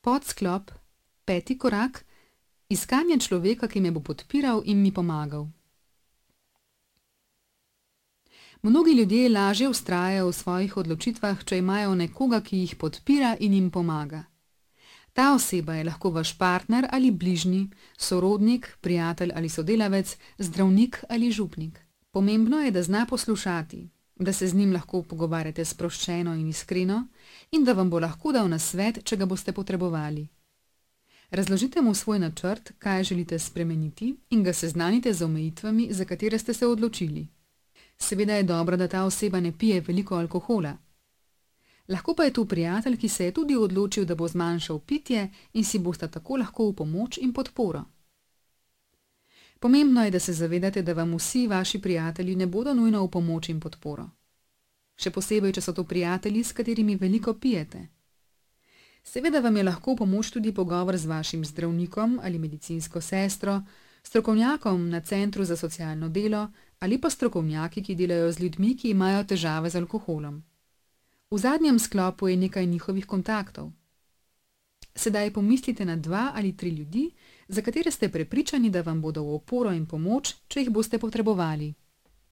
Podsklop, 5. korak, iskanje človeka, ki me bo podpiral in mi pomagal. Mnogi ljudje lažje vztrajajo v svojih odločitvah, če imajo nekoga, ki jih podpira in jim pomaga. Ta oseba je lahko vaš partner ali bližnji, sorodnik, prijatelj ali sodelavec, zdravnik ali župnik. Pomembno je, da zna poslušati, da se z njim lahko pogovarjate sproščeno in iskreno in da vam bo lahko dal nasvet, če ga boste potrebovali. Razložite mu svoj načrt, kaj želite spremeniti in ga seznanite z omejitvami, za katere ste se odločili. Seveda je dobro, da ta oseba ne pije veliko alkohola. Lahko pa je tu prijatelj, ki se je tudi odločil, da bo zmanjšal pitje in si bosta tako lahko v pomoč in podporo. Pomembno je, da se zavedate, da vam vsi vaši prijatelji ne bodo nujno v pomoč in podporo. Še posebej, če so to prijatelji, s katerimi veliko pijete. Seveda vam je lahko v pomoč tudi pogovor z vašim zdravnikom ali medicinsko sestro, strokovnjakom na centru za socialno delo ali pa strokovnjaki, ki delajo z ljudmi, ki imajo težave z alkoholom. V zadnjem sklopu je nekaj njihovih kontaktov. Sedaj pomislite na 2 ali 3 ljudi, za katere ste prepričani, da vam bodo v oporo in pomoč, če jih boste potrebovali.